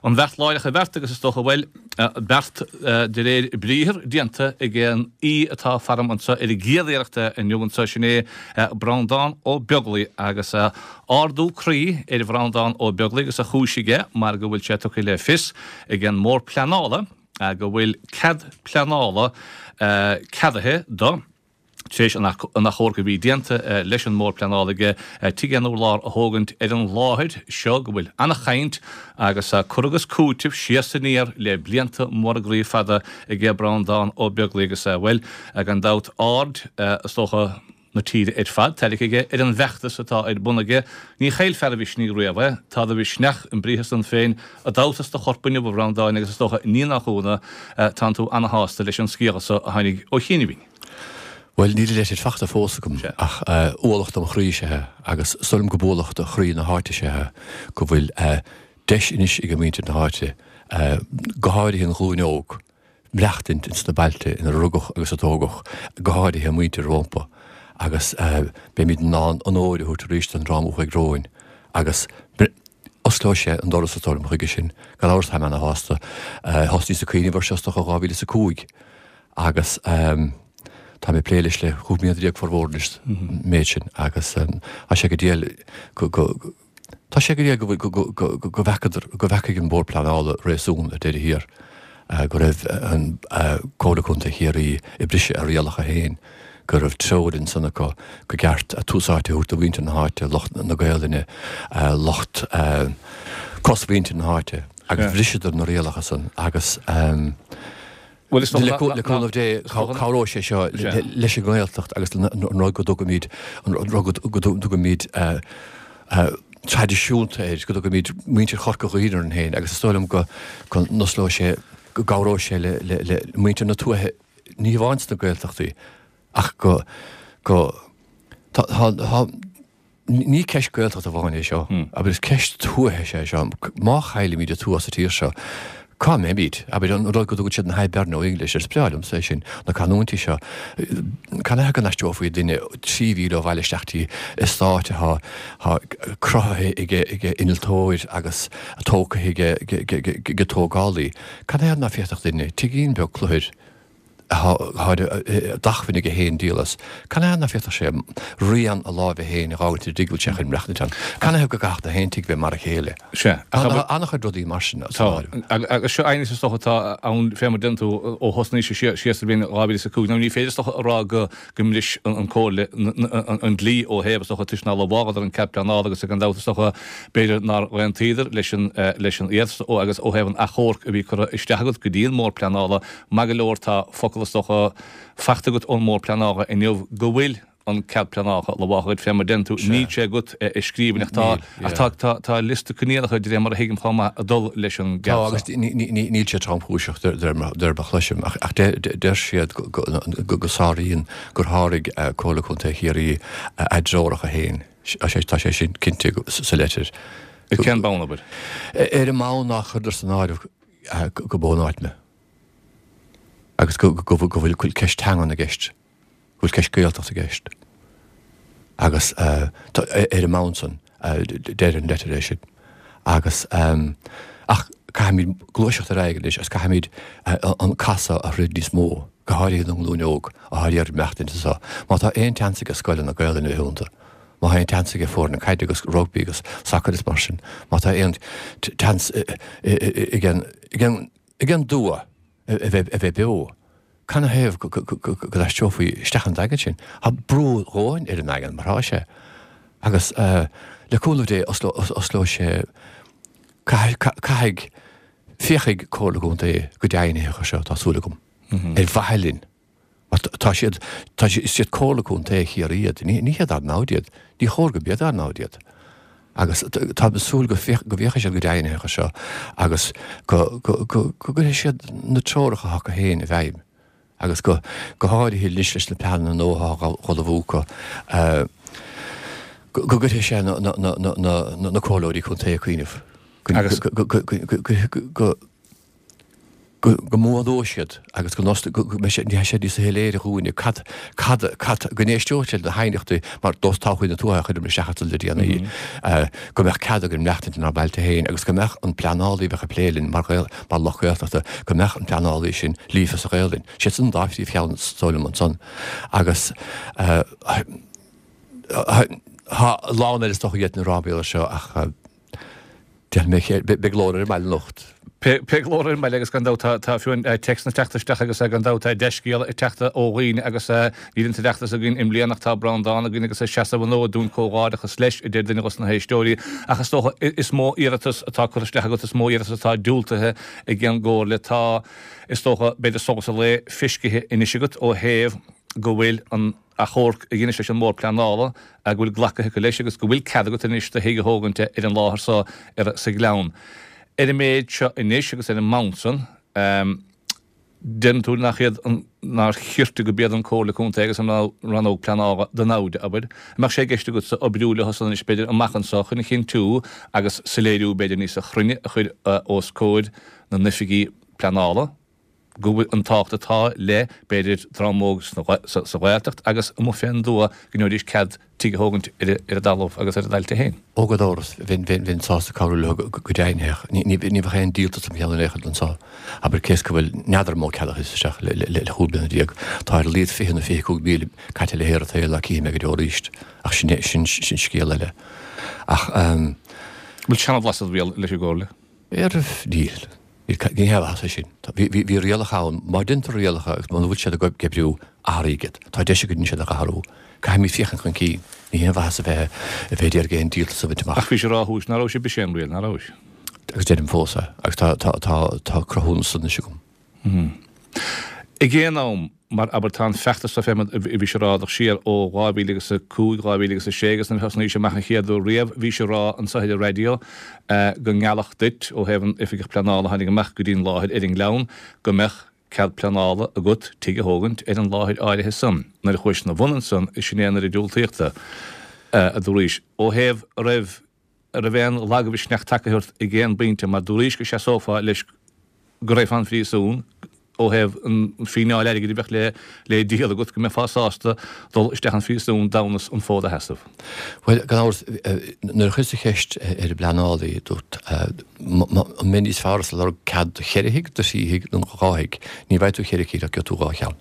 An bheart láithreach an bheart agus is dócha, bhuel, beart de réir briathar déanta ag an aoi atá faram anseo ar an gcéad iarracht inniu anseo, sin é Breandán Ó Beaglaoi agus ardú croí ar Bhreandán Ó Beaglaoi agus an chúis aige mar go bhfuil sé tugtha le fios ag an mBord Pleanála go bhfuil cead pleanála ceadaithe do Tar éis an achomharc a bhí déanta leis an mBord Pleanála aige tigh aon urlár a thógaint ar an láthair seo go bhfuil ana-chaint agus cur agus cúiteamh siar 's aniar le blianta móra groí fada aige Breandán Ó Beaglaoi agus, bhuel, gan dabht aird, is dócha, na tíre ar fad tarraingthe aige ar an bhfeachtas atá ar bun aige. Ní chaillfear a mhisnigh riamh é. Tá do mhisneach, an briathar san féin, i d'fheabhas is do chorp inniu, a Bhreandáin, agus is dócha, ní nach ionadh, tánn tú ana-shásta leis an scéala so a tháinig ó chianaibhín. Bhuel, níl an leitir fachta fós agam, ach ualach dom chroí is ea é, agus is dóigh liom gurb ualach do chroí na háite is ea é, go bhfuil deis anois ag muintir na háite, go háirithe an ghlúin óg, maireachtaint ins na bailte ina rugadh agus a tógadh, go háirithe muintir rómpa, agus beimid in ann onóir a thabhairt arís don dream a chuaigh romhainn, agus osclóidh sé an doras, is dóigh liom, chuige sin. Gan amhras, táim ana-shásta. Thosnaíos ag cuimhneamh air seo, is dócha, 2005. Agus tá mé ag plé leis le 15 mbliana formhór anois, an méid sin, agus tá sé go diail go, go, tá sé go diail go, go, go, go bhfeacadar, go bhfeacaigh an Bord Pleanála réasún ar deireadh thiar, go raibh an Comhairle Contae Chiarraí ag briseadh a rialacha féin, go raibh treoir ansan acu go gceart tús áite a thabhairt do mhuintir na háite, lucht na Gaelainne, lucht cosmhuintir na háite, agus bhriseadar na rialacha san agus. Bhuel, is dócha nach. Le cúnamh Dé, cabhróidh sé seo leis an nGaeltacht agus an rud go dtugaimid, an rud go dtugaimid traidisiúnta air, go dtugaimid muintir Chorca Dhuibhne orainn féin agus is dóigh liom go n-osclóidh sé, go gcabhróidh sé le muintir na tuaithe, ní hamháin sna Gaeltachtaí ach go, go, tá, tá, Ní ceist Gaeltachta amháin é seo, abair, is ceist tuaithe is ea é seo. Má chaillimid an tuath sa tír seo, cá mbeimid? Abair, an rud go dtugann siad na Hiberno English, is breá liomsa é sin, na canúintí seo. Canathaobh go n-aistreofaí duine 3 mhíle ó bhaile isteach dtí eastát atá cruthaithe ag innealtóir agus tógtha ag tógálaí? Canathaobh ná féadfadh duine tigín beag cluthair atá d'acmhainn aige féin díol as. Canathaobh ná féadfadh sé rian a láimhe féin a dh'fhágaint ar an dtigh a bhfuil sé chun maireachtaint ann? Canathaobh go gcaithfeadh na haon tigh bheith mar a chéile? Sea. Tá an-chuid rudaí mar sin san áireamh. Tá. Agus seo aighneas is dócha atá ann fé mar a deireann tú ó thosnaís siar sa bhliain 2005. Now ní féidir is dócha a rá go go mbris an Comhairle an dlí ó thaobh, is dócha, toisc nár lamháladar an cead pleanála agus gan dabht, is dócha, b'fhéidir nár aontaíodar leis an leis an iarratas agus ó thaobh an achomhairc a bhí curtha isteach agat go dtí an mBord Pleanála, maith go leor tá focal, is dócha, fachta agat ón mBord Pleanála inniu go bhfuil an cead pleanála lamhálta agat fé mar a deireann tú, níl sé agat i scríbhinn ach tá ach tá tá tá liosta coinníollacha de réir mar a thuigim chomh maith ag dul leis an gcead Tá agus níl sé tromchúiseach de réir mar a chloisim ach deir siad go sáraíonn, gur sháraigh Comhairle Contae Chiarraí a dtreoracha féin. Tá sé sin cinnte sa leitir. Ar cén bonn, abair? Ar an mbonn nár chuireadar san áireamh go b'ón áit mé agus go bhfuil ceist teangan i gceist. go bhfuil ceist Gaeltachta i gceist agus ar an mbonn san, deir an leitir é sin. Agus ach caithfimid gluaiseacht ar aghaidh anois agus caithfimid an casadh a throid níos mó, go háirithe don nglúin óg atá ag iarraidh maireachtaint anseo. Má tá aon tseans ag scoileanna Gaelainne a bheith iontu, má tá aon tseans ag foirne caide agus rugbaí agus sacair is mar sin, má tá aon tseans ag an dtuath a bheith beo, Canathaobh go n-aistreofaí isteach an Daingean sin? Tá brú a dhóthain ar an nDaingean mar atá sé. Agus le cúnamh Dé osclóidh sé, caithfidh, féachfaidh Comhairle Contae go deimhnitheach air seo, tá súil agam, ar mhaithe linn. Mar tá siad, tá siad, is iad Comhairle Contae Chiarraí iad, ní hiad ár namhaid iad, ní chóir go mb'iad ár namhaid iad. Agus táim ag súil go bhféachfaidh siad go deimhnitheach air seo agus go gcuirfidh siad na treoracha acu féin i bhfeidhm agus go háirithe anois leis na pleananna nua atá á ullmhú acu, go gcuirfidh sé na comhairleoirí contae ag cuimhneamh go. Go mbuanóidh siad agus go mbeidh sé, ní sé níos soiléire dhúinne cad, cad, cad, go n-éisteoidh siad le haighneachtaí mar nós Todhchaí na Tuaithe a chuireamar isteach ansan le déanaí, go mbeadh cead againn maireachtaint inár mbailte féin agus go mbeadh an pleanálaí a bheadh ag plé linn mar Ghael, mar lucht Gaeltachta, go mbeadh an pleanálaí sin líofa sa Ghaelainn. Siad san an dá phríomhcheann is dóigh liom ansan. Agus tá a lán eile is dócha a d'fhéadfainn a rá mar gheall air seo ach, Déanfaidh mé, beidh glór ar an mbaile anocht. Beidh glór ar an mbaile agus gan dabht tá fiú an téacsanna ag teacht isteach agus gan dabht tá dea-scéala ag teacht ó dhaoine agus níl an tOireachtas againn i mbliana ach tá Breandán againn agus ag seasamh an fhóid dúinn comhghairdeachas leis, a deir duine dos na héisteoirí. Ach is dócha is mó iarratas atá curtha isteach agat, is mó iarratas atá diúltaithe ag an gComhairle. Tá, is dócha, b'fhéidir solas an lae feiscithe anois agat ó thaobh go bhfuil an. achomharc a dheinis leis an mBord Pleanála, go bhfuil glactha acu leis agus go bhfuil cead agat anois do thigh a thógaint ar an láthair so ar sa Ghleann. Ar an méid seo anois agus ar an mbonn san, deireann tú nach iad an, nár chirte go b'iad an Comhairle Contae agus an Rannóg Pleanála do namhaid, abair. An mbeadh sé i gceist agatsa oibriú leo san anois b'fhéidir amach anso chun a chinntiú agus soiléiriú b'fhéidir níosa chruinne a chur os comhair na n-oifigí pleanála? go bhfuil an tábhacht atá le, b'fhéidir, dream óg sa Ghaeltacht agus amuigh fén dtuath go ngeobhaidís cead tigh a thógaint ar a dtalamh agus ar a dtailte féin. Ó gan amhras, bheinn sásta cabhrú leo go deimhnitheach. Ní bheadh aon díoltas im cheann in aon chor anso. Abair, cé is go bhfuil n'fheadar an mó ceadaithe isteach le chúig bliana déag, tá ar a laghad 20 nó 25,000 caite le haer an tsaoil ná cífidh mé go deo arís. Ach sin sin scéal eile. Ach. An bhfuil seanabhlas id bhéal leis an gComhairle? Níl. Ní haon mhaitheas é sin. Bhí rialacha ann. Má deintear rialacha agus muna bhfuil siad ag oibriú, athraígh iad. Tá deis againn iad a athrú. Caithfimid féachaint chun cinn. Ní haon mhaitheas a bheith a bheith ag iarraidh aon díoltas a bhaint amach. Ach bhís ag rá thuas ná raibh sé b'shin é an riail, ná rabhais? Agus deirim fós é. Agus tá tá tá tá cruthúnas anois agam. Ag aon am, mar abair, tá an feachtas seo fé mar a bhís ag rá dul siar ó 2005, 2006 agus nuair a thosnaís amach an chéad uair riamh, bhís ag rá anso ar an raidió go ngeallfadh duit, ó thaobh an oifigeach pleanála a tháinig amach go dtí an láthair ar an nGleann, go mbeadh cead pleanála agat tigh a thógaint ar an láthair áirithe san. Nuair a chuais ina bhun ansan, sin é nuair a diúltaíodh do, a dúraís. Ó thaobh a raibh. An raibh aon lagmhisneach tagtha ort ag aon bpointe mar dúraís go seasófá leis go raghfá 'on phríosún ó thaobh an fíneáil airgid a bheadh le le díol agat, go mbeifeá sásta dul isteach 'on phríosún d'fhonn an fód a sheasamh? Bhuel, gan amhras, nuair a chuireas an cheist ar an bpleanálaí, dúrt, an mbeidh níos fearr ortsa lorg cead do cheithre thigh, do thrí thigh nó do dhá thigh? Ní bhfaighidh tú cheithre cinn ach gheobhaidh tú dhá cheann.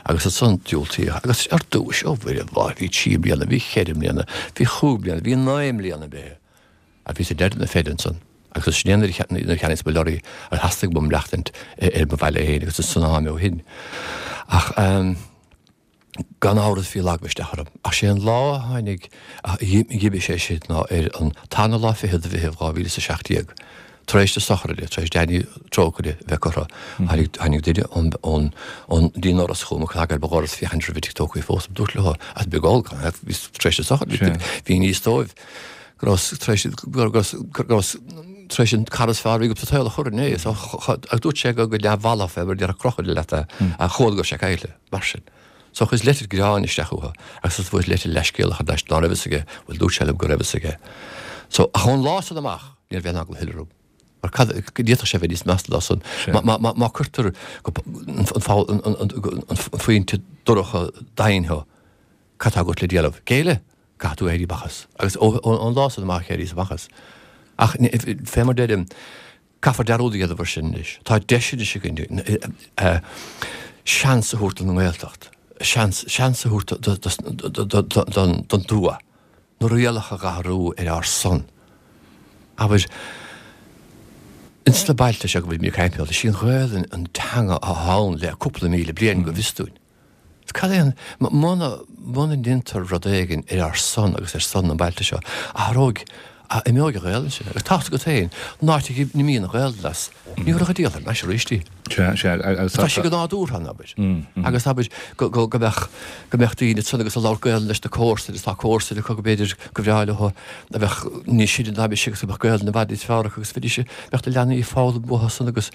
Agus ansan diúltaíodh. Agus ar dtúis, ó Mhuire mhaith, bhí trí bliana, bhí cheithre bliana, bhí chúig bliana, bhí naoi mbliana imithe. Ach bhíos ag deireadh na feide ansan. Agus sin é nuair a cheannaíos mo lorry agus theastaigh uaim maireachtaint ar mo bhaile féin agus san am ó shin. Ach gan amhras bhí lagmhisneach orm. Ach sé an lá a tháinig, a dh'imigh sé sin ná ar an tarna lá fichead de Mheitheamh 2017. Tar éis na sochraide, tar éis Danny Trócaire a bheith curtha, tháinig, tháinig duine ón, ón, ón dtí an doras chugam ag cnagadh ar mo dhoras féachaint raibh an tigh tógtha fós. Dúrt leo, as beag ól, bhí tar éis na sochraide, bhí i ngan fhios dóibh go raibh, tar éis, go raibh, go raibh, tar éis an cara is fearr a bhí agam sa tsaol a chur inné. So, agus dúirt sé go, go neamhbhalbh é mar déarfadh crocodile leat é, ach chuala go raibh sé caillte, mar sin. So chuireas leitir gréáin isteach uathu agus fuaireas leitir leithscéalach thar n-ais ná raibh fhios aige, bhuel dúirt sé liom go raibh fhios aige. So, ach ón lá san amach, ní raibh aon eagla a thuilleadh orm. Mar cad, d'fhéadfadh sé bheith níos measa ná san. Má, má, má, má cuirtear go, an, an, an, an phointe dorcha daingean thú, cad tá agat le déanamh? Géilleadh? Caithfidh tú éirí amach as. Agus ó, ón lá san amach éiríos amach as. Ach, fé mar deirim, Caithfear dearúd a dhéanamh ar sin anois. Tá deis anois againn seans a thabhairt don nGaeltacht, seans, seans a thabhairt don tuath, na rialacha a dh'athrú ar ár son. Abair, ins na bailte seo go bhfuil mé ag caint is í an Ghaelainn an teanga atá ann le cúpla míle bliain go bhfios dúinn. Cad é an, muna, muna ndéantar rud éigin ar ár son agus ar son na mbailte seo, athróidh, imeoidh an Ghaelainn sin. Agus tá a fhios agat féin, an áit a n-imíonn an Ghaelainn as, ní thabharfá a díol thar n-ais arís í. Sea, sea, agus tá. Tá sí go nádúrtha ann, abair. Agus abair, go, go, go mbeadh, go mbeadh daoine ansan agus ag labhairt Gaelainn leis na comharsain, agus tá comharsain acu go mb'fhéidir go bhreá leo a bheadh níos sine ná mise agus go mbeadh Gaelainn i bhfad níos fearr acu agus bheidís, bheadh na leanaí ag foghlaim uathu san agus,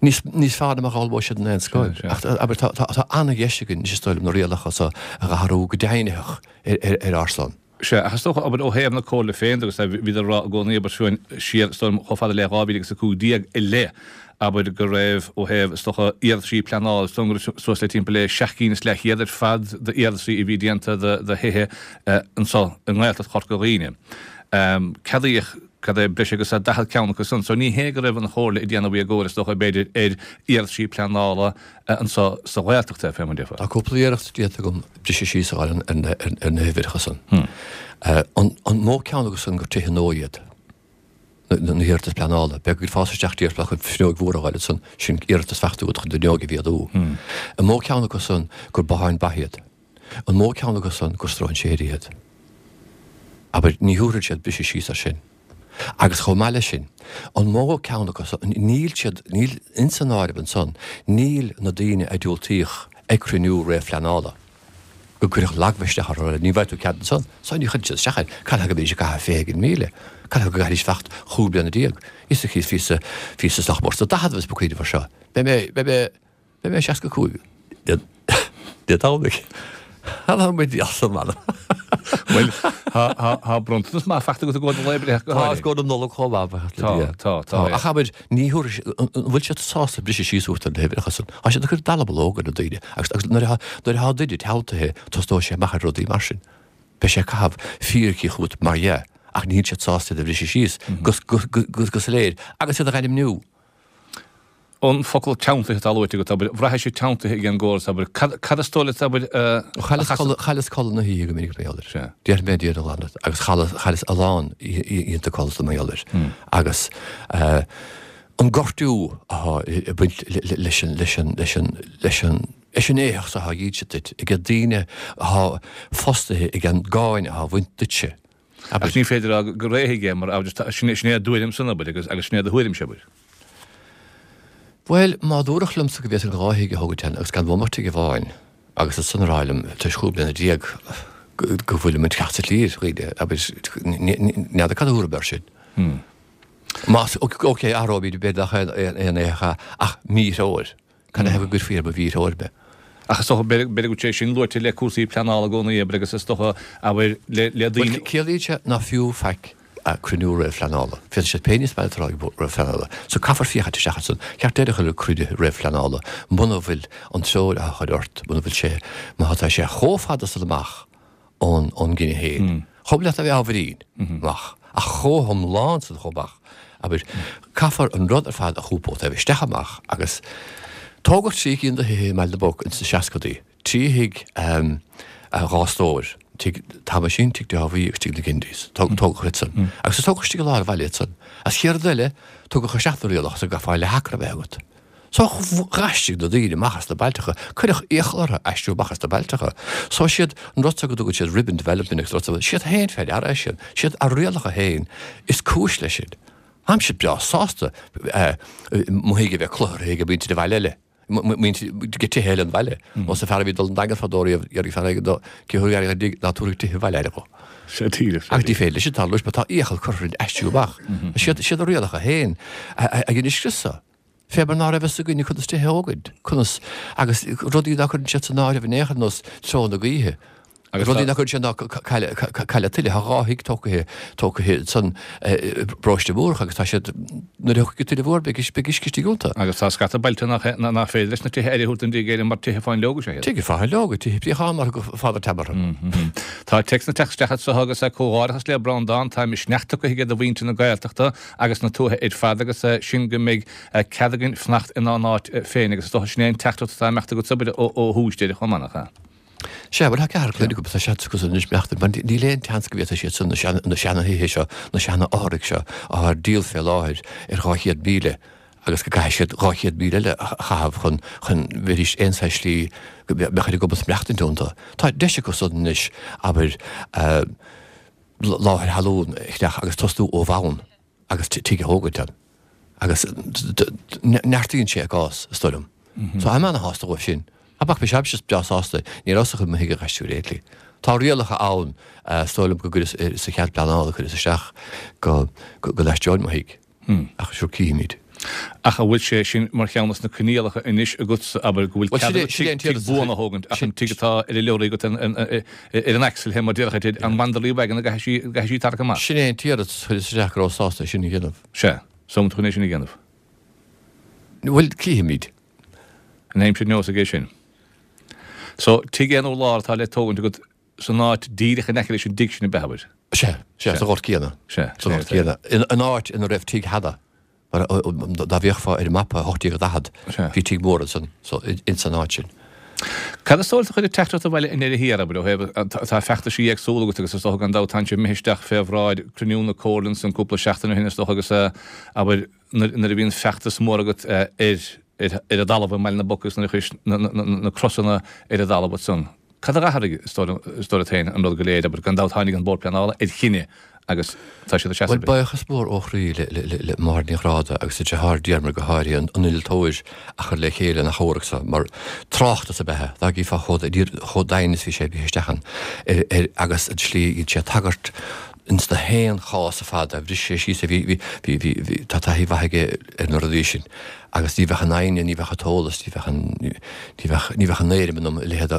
Níos, níos fearr ná mar a d'fhoghlaimeodh siad in aon scoil. Ach, abair, tá, tá, tá an-dheis againn anois is dóigh liom na rialacha so a dh'athrú go deimhnitheach ar, ar, ar ár son. Sea, ach is dócha, abair, ó thaobh na Comhairle féin de, agus bhíodar ag rá i gcónaí, abair, fiú siar, is dóigh liom, chomh fada le 2015 i leith, abair, go raibh, ó thaobh, is dócha, iarrataisí pleanála, is dóigh liom go raibh suas le timpeall le seacht gcinn is leathchéad ar fad d'iarrataisí a bhí déanta do thithe anso i nGaeltacht Chorca Dhuibhne. Ceadaíodh, cad é, breis agus 40 ceann acu san. So ní hé go raibh an Chomhairle ag déanamh éagóir, is dócha, b'fhéidir, ar iarrataisí pleanála anso sa Ghaeltacht, fé mar a déarfá. Tá cúpla iarracht déanta agam briseadh síos a fháil ar na huimhreacha san. An mó ceann acu san gur tithe nua iad na hiarratais pleanála? Beidh ag fás isteach déarfá chun fuinneoig mhór a fháil ansan, sin iarratas faighte agat chun d'fhuinneog a mhéadú. An mó ceann acu san gur botháin ba iad? An mó ceann acu san gur stróinséirí iad? Abair, ní thabharfaidh siad briseadh síos air sin. Agus chomh maith leis sin, an mó ceann acu san, níl siad, níl ins an áireamh ansan, níl na daoine a diúltaíodh ag cruinniú réamhphleanála, go gcuirfeadh lagmhisneach orthu, ní bhfaighidh tú cead ansan, so ní chuireann siad isteach air, cad chuige go mbeidís ag caitheamh 20,000, cad chuige go gcaithfidís fanacht chúig bliana déag, is bhíos, bhíos isteach mór sna daicheadaibh is mo cuimhneamh air seo, beidh mé, beidh mé, Beidh mé 65 Dé Domhnaigh. Tá muid as an mbanna. Bhuel, tá bronntanas maith faighte agat i gcomhair do lae breithe go háirithe. Tá, is i gcomhair na Nollag chomh maith, buíochas le Dia. Tá, tá, tá. Ach abair, ní thabharfaidh, an bhfuil siad sásta briseadh síos uait ar na huimhreacha san? Tá siad ag cur dallamullóg ar na daoine agus agus nuair atá nuair atá duine teanntaithe tosnóidh sé amach ar rudaí mar sin. Beidh sé ag caitheamh fíricí chugat mar dhea ach níl siad sásta iad a bhriseadh síos go go go soiléir agus iad a ainmniú. An focal teanntaithe atá luaite agat, abair, bhraithfeá sibh teanntaithe ag an gcóras, abair, cad, cad is dóigh leat, abair, a Chailleas, chailleas codladh na hoíche go minic mar gheall air. Sea. Déarfaidh mé Dia do ghlanadh agus chailleas, chailleas a lán oícheanta codlata mar gheall air. Agus an gortú atá ag baint leis an, leis an, leis an, leis an, leis an éitheach atá á dhíol duit ag daoine atá fostaithe ag an gcáin atá á bhaint duitse. Ach ní féidir a rá gur éithigh é, mar abair, sin é a dtuairim san, abair, agus agus sin é do thuairimse, abair. Bhuel, má dúradh liomsa go bhféadfainn dhá thigh a thógaint ann agus gan bhuail tigh amháin, agus ansan a rá liom, tar éis chúig bliana déag, go bhfuilim ag teacht sa tslí ar dhaoine, abair, n'fheadar cad a thabharfaidh mé air sin. Más, ok, athróimid, b'fhéidir nach aon éitheach é, ach míthreoir. Cad a thaobh go gcuirfí ar mo mhíthreoir mé? Ach is dócha, b'fhéidir go bhfuil sé sin luaite le cúrsaí pleanála i gcónaí, abair, agus is dócha, abair, le daoine. Bhuel, ciallaíonn sé ná fiú faic cruinniú réamhphleanála. Féadfaidh siad pé ní is maith leo a rá ag réamhphleanála. So caithfear féachaint isteach ansan. Ceart deireadh a chur le cruinnithe réamhphleanála muna bhfuil an treoir á chur ort, muna bhfuil sé, má tá sé chomh fada san amach ón gcinneadh féin. Chomh leat a bheith ábhairín amach, ach chomh hiomlán san chomh amach, abair, caithfear an rud ar fad a choipeadh taobh isteach amach agus tógadh trí cinn de thithe i mBaile na bPoc ins na seascadaí, trí thigh dhá stór, tigh Thomaisín, tigh Dáibhí agus tigh na Gindys, tógadh iad san. Agus tógadh istigh i lár an bhaile iad san. As chéad rud eile, tugadh isteach na rialacha so go gcaithfeá leath acra a bheith agat. So dh'aistrigh na daoine amach as na bailteacha, cuireadh iachall orthu aistriú amach as na bailteacha. So siad an rud so go dtugann siad ribbon development agus rud so, siad féin fé ndeara é sin, siad a rialacha féin is cúis leis sin. Táimse breá sásta mo thigh a bheith cluthartha ag muintir an bhaile eile, muintir de tithe eile an bhaile. Nós an fear a bhí ag dul an Daingean fadó riamh, d'iarraidh fear éigin dó, cé thú a dtig ná tabharfaidh tithe an bhaile aire dhó. Sea, díreach. Ach ní féidir leis sin tarlú, mar tá iachall curtha orainn aistriú amach. Siad siad a rialacha féin a dhein an scrios so. Fé mar ná raibh fhios againne conas tithe a thógaint, conas, agus rudaí ná cuireann siad san áireamh in aon chor nós treo na gaoithe. Agus rudaí ná cuireann siad ná cailleadh tuile. Tá dhá thigh tógtha, tógtha ansan i bparóiste Mhúrach agus tá siad, nuair a thiocfaidh an tuile mhór beidh, beidh uisce istigh iontu. Agus tá scata bailte nach, nach féidir leis na tithe aire a thabhairt don dtigh Éireann mar tithe fáinleoga is ea iad. Tithe fáinleoga, tithe préachán mar a thug Father Tam orthu. Tá téacsanna ag teacht isteach anso agus comhghairdeachas le Breandán, tá misneach tugtha aige do mhuintir na Gaeltachta agus na tuaithe ar fad agus sin go mbeidh cead againn fanacht inár n-áit féin agus is dócha sin é an teachtaireacht atá ag imeacht agat abair ó thús deireadh chomh maith, nach ea? Sea, bhuel tá ceathrar clainne agam, tá siad acu anois imeacht mar níl aon tseans go bhféadfaidh siad san na seana-thithe seo, na seana-fhothraigh seo atá ar díol fé láthair ar 200,000 agus go gcaithfidh siad 200,000 eile a chaitheamh chun chun bheidís aon saghas slí go mbeadh ar a gcumas maireachtaint iontu. Tá deis acu san anois, abair, láthair thalún a cheannach agus tosnú ó bhonn agus tigh a thógaint ann. Agus neartaíonn sé a gcás, is dóigh liom. So I'm ana-shásta dhóibh sin. Ach bheadh mise breá sásta, ní rabhas chun mo thigh a dh'aistriú ar aon tslí. Tá rialacha ann, is dóigh liom go gcuireas sa chead pleanála a cuireas isteach go go n-aistreoinn mo thigh. Ach sure cífimid. Ach an bhfuil sé sin mar cheann dos na coinníollacha anois agatsa, abair, go bhfuil cead agat tigh buan a thógaint ach an tigh atá ar an leoraí agat ar an axle mar déarfá, an Wanderly wagon an gcaithfidh sí tarrac amach? Sin é an t-iarratas a chuireas isteach go rabhas sásta é sin a dhéanamh. Sea. So an bhfuil tú chun é sin a dhéanamh? Bhuel, cífimid. An aimsir neosfaidh é sin. So, tigh aon urlár atá le tógaint agat san áit díreach in aice leis an dtigh sin ab ea, abair? Sea, sea, sa ghort céanna. Sea, Sa ghort céanna. In áit ina raibh tigh cheana, mar dá bhféachfá ar an mapa 1840, Sea. bhí tigh mór ansan, so, ins an áit sin. Cad is dóigh leat a chuir an teachtaireacht abhaile i ndeireadh thiar, abair, ó thaobh, tá feachtaisí éagsúla agat agus is dócha gan dabht tánn sibh imithe isteach fé bhráid cruinniú na comhairle ansan cúpla seachtain ó shin is dócha agus, abair, nuair a bhíonn feachtas mór agat ar ar an dtalamh i mBaile na bPoc agus nuair a chuiris na crosanna ar an dtalamh ansan. Cad a d'athraigh, is dóigh leat féin, an rud go léir, abair, gan dabht tháinig an Bord Pleanála ar chinneadh agus tá siad ag seasamh Bhuel, buíochas mór ó chroí le Máire Ní Ghráda agus a deartháir Diarmuid go háirithe, an innealtóir a chuir le chéile an achomharc so, mar tráchtas ab ea é, dá gcífeá chomh doimhin is bhí sé imithe isteach ann ar agus an tslí a dhein sé tagairt ins na haon chás ar fad, bhris sé síos é, bhí, bhí, bhí, bhí, tá taithí mhaith aige ar na rudaí sin agus ní bheadh an fhoighne, ní bheadh an t-eolas, ní bheadh an, ní bheadh, ní bheadh an éirim ionam a leithéid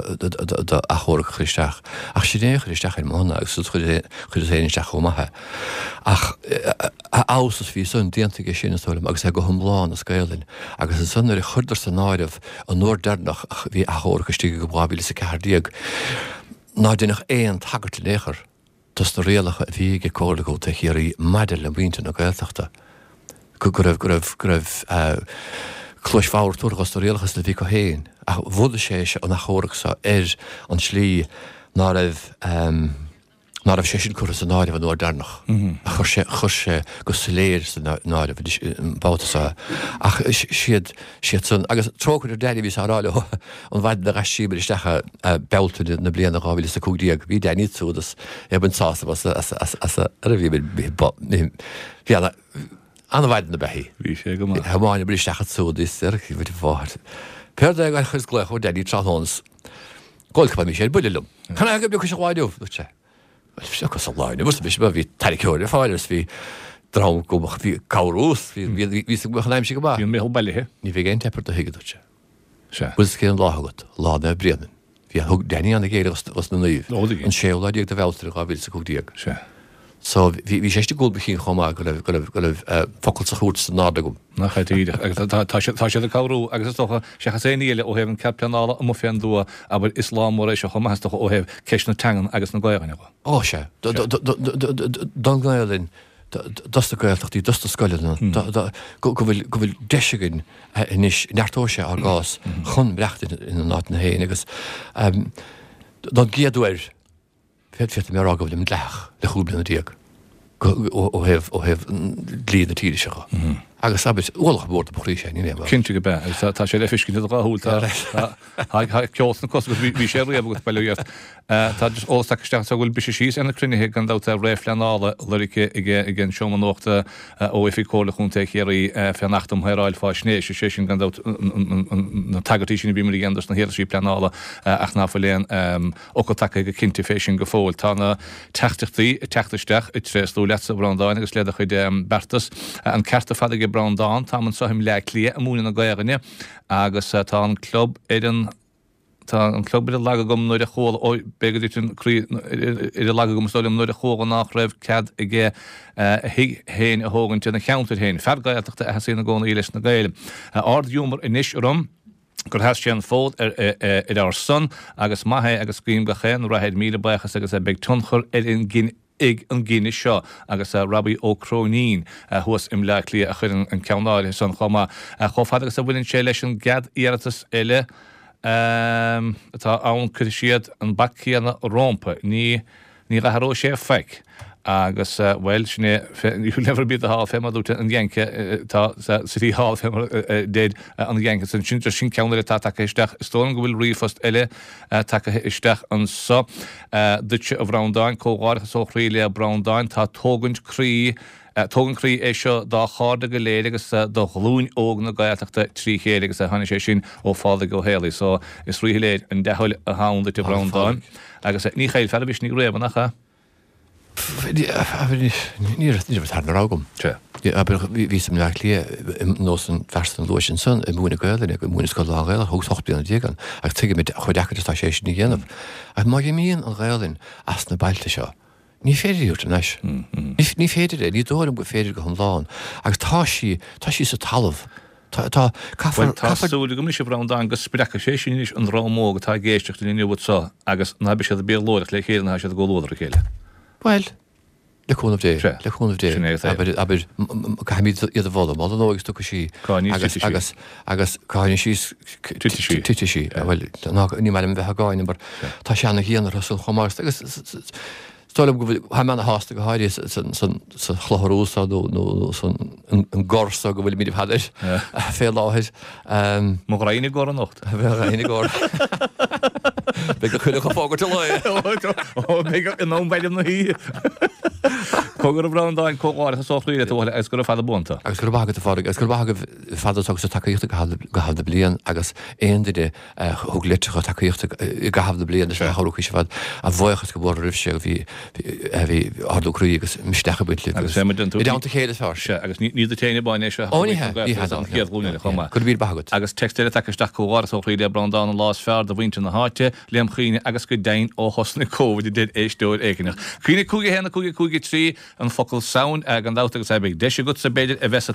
d'achomharc a chur isteach. Ach sin é a chuir isteach ar mo shon agus chuireas féin isteach chomh maith é. Ach a fheabhas is bhí san déanta aige sin, is dóigh liom, agus é go hiomlán as Gaelainn. Agus ansan nuair a chuireadar san áireamh an uair deireanach a bhí achomharc istigh agam 2014, ná deineadh aon tagairt in aon chor. dos na rialacha a bhí ag Comhairle Contae Chiarraí maidir le muintir na Gaeltachta, go raibh, go raibh, go raibh cluais bhodhar tabhartha dos na rialacha san a bhí acu féin. Ach bhunaigh sé an achomharc seo ar an tslí ná raibh, ná raibh sé sin curtha san áireamh an uair deireanach. Ach chuir sé, chuir sé go soiléir san áireamh anois an babhta seo. Ach siad, siad san, agus trócaire ar Danny bhíos á rá leo an mhaidin a d'aistríomar isteach é, Bealtaine na bliana 2015, bhí Danny ansiúd is é ag baint sásamh as as as as a bhí bhí ana an-mhaidin ab ea í. Bhí sé go maith. Thiomáineamar isteach ansiúd is ar bhí mháthair. Péard é gur chuireas glaoch ar Danny tráthnóna is go bhfuil mise ar buile liom. Cad é go bhfiuchais an lá inniu? Dúirt sé. Bhuel, fiuchas an lá inniu, arsa mise, bhí tarraiceoir ar fáil agus bhí dream go bhí cabhrú bhí bhí bhí bhí an aimsir go maith. Bhí an meitheal bailithe. Ní bheidh aon teip ar do thigh, a dúirt sé. Sea. Bhfuil 's cén lá agat? Lá Naomh Bréanainn. Bhí, thug Danny ana-ghéire dos na naoimh. Ó, tuigim. An séú lá déag de Bhealtaine 2015. Sea. So, bhí, bhí sé istigh i gcúl mo chinn chomh maith go raibh, go raibh, go raibh focal sa chúirt san ard agam. Nach é díreach. Agus tá, tá siad, tá siad ag cabhrú agus is dócha, seachas aon ní eile ó thaobh an cead pleanála amuigh fén dtuath, abair, is lá mór é seo chomh maith is dócha ó thaobh ceist na teangan agus na Gaelainne dhe. Ó, sea. Do, do, do, do, do, don Ghaelainn, dos na Gaeltachtaí, dos na scoileanna, go bhfuil, go bhfuil deis againn anois, neartóidh sé ár gcás chun maireachtaint ina n-áiteanna féin agus don gcéad uair, féadfaidh mé a rá go bhfuilim dleathach le 15 bliana ó thaobh, ó thaobh dlí na tíre seo. Agus abair, ualach mór do mo chroí sé, níl aon. Cinnte go bea, agus tá sé le feiscint i do dhá shúil, tá, tá, tá ceol sna cosa agat, bhí sé riamh agat, bail ó Dhia ort. Tá just eolas tagtha isteach anseo go bhfuil briseadh síos ar na cruinnithe gan dabht réamhphleanála lorgtha ag an Seomra Nuachta ó Oifig Chomhairle Chontae Chiarraí fén Acht um Shaoráil Faisnéise, sé sin gan dabht na tagairtí sin a bhíomar a dhéanamh dos na hiarrataisí pleanála ach ná fuil aon fhocal tagtha go cinnte fé sin go fóill. Tá na teachtaireachtaí ag teacht isteach ag tréaslú leatsa a Bhreandáin agus le do chuid beartas. An ceart ar fad aige Breandán, táim anseo i mBleá Cliath ag múineadh na Gaelainne agus tá an club ar an Tá an club ar an lag agam nuair a chuala, ó, b'fhéidir go dtiteann an croí ar an lag agam is dóigh liom, nuair a chuala nách raibh cead aige a thigh féin a thógaint ina cheantar féin. Fear Gaeltachta a sheasaíonn i gcónaí leis na Gaeil. Ard-ghiúmar anois orm gur sheas sé an fód ar ar ár son agus maith é agus guím gach aon rath air. Míle buíochas agus beidh tionchar ar an ag an gcinneadh seo agus Robbie Ó Cróinín thuas i mBleá Cliath a chuireann an ceann áirithe san chomh maith. Chomh fada agus a bhaineann sé leis an gcead iarratas eile atá ann cuirfidh siad an bac céanna rómpa. Ní ní dh'athróidh sé faic. Agus, bhuel, sin é, you'll never beat the hall fé mar a dúirt an Yanke, tá City Hall fé mar a deir an Yanke san. Sin sin ceann eile atá tagtha isteach. Is dóigh liom go bhfuil ríomhphost eile tagtha isteach anso duitse a Bhreandáin. Comhghairdeachas ó chroí le Breandán. Tá tógaint croí tógaint croí é seo dá chairde go léir agus do ghlúin óg na Gaeltachta trí chéile agus tháinig sé sin ó Phádraig Ó Héalaí. So is ríshoiléir an dea-thoil atá ann duit a Bhreandáin. Agus ní chaillfear do mhisneach riamh, nach ea? Ní raibh tarna rogha agam. Bhíos i mBleá Cliath nós an fear san a luais ansan ag múineadh Gaelainne, ag múineadh scoil lán-Ghaelach, thugas 18 bliana ann agus tuigimid chomh deacair is atá sé sin a dhéanamh. Ach má imíonn an Ghaelainn as na bailte seo, ní féidir í a thabhairt thar n-ais. Ní féidir é, ní dóigh liom gur féidir go hiomlán. Agus tá sí, tá sí sa talamh. Tá, tá, caithfear, Bhuel, tá caithfear. súil agam anois, a Bhreandáin, go spreagfaidh sé sin anois an dream óg atá ag éisteacht linn inniu anso agus ná beidh siad ag béarlóireacht le chéile ná tá siad i gcomhluadar a chéile. Bhuel, le cúnamh Dé, Sea, le cúnamh Dé, sin é atá. abair, abair, caithfimid iad a mholadh, moladh an óig is tiocfaidh sí Cáineadh agus, titfidh sí. agus, agus cáineadh síos, Titfidh sí. titfidh sí. Bhuel, ná, ní maith liom a bheith á gcáineadh mar tá sé ana-dhian orthu san chomh maith agus, agus, Is dóigh liom go bhfuil, tá mé ana-shásta go háirithe sa chlochar úr seo nó san an gcor seo go bhfuilimid ar fad air fé láthair. Mo ghraidhin i gcor anocht. Mo ghraidhin i gcor. Beidh an coileach ag fógairt a lae. Ó, beidh in am bhfeidhm na hoíche. Cogar a Bhreandáin, comhghairdeachas ó chroí leat a bhuachaill agus gura fada buan tú. Agus go raibh maith agat a Phádraig, agus go raibh maith agaibh fad a thug sibh tacaíocht i gcaitheamh na bliana agus aon duine a thug litreacha tacaíochta i gcaitheamh na bliana is a chabhraigh sibh ar fad. A bhuíochas go mór roimh sé bhí bhí ardú croí agus misneach ag baint libh agus i dteannta a chéile is fearr. Sea, agus ní duit féin amháin é seo Ó ní hea, ní hea, an chéad ghlúin eile chomh maith. Go raibh míle maith agat. Agus téacs eile tagtha isteach comhghairdeas ó chroí le Breandán an lá is fearr do mhuintir na háite, lem chuimhne agus go deimhin ó thosnaigh Covid a deir éisteoir éigineach. Cuimhnigh 5 1 5 5 3 an focal Samhain gan dabht agus beidh deis agatsa b'fhéidir a bheith sa.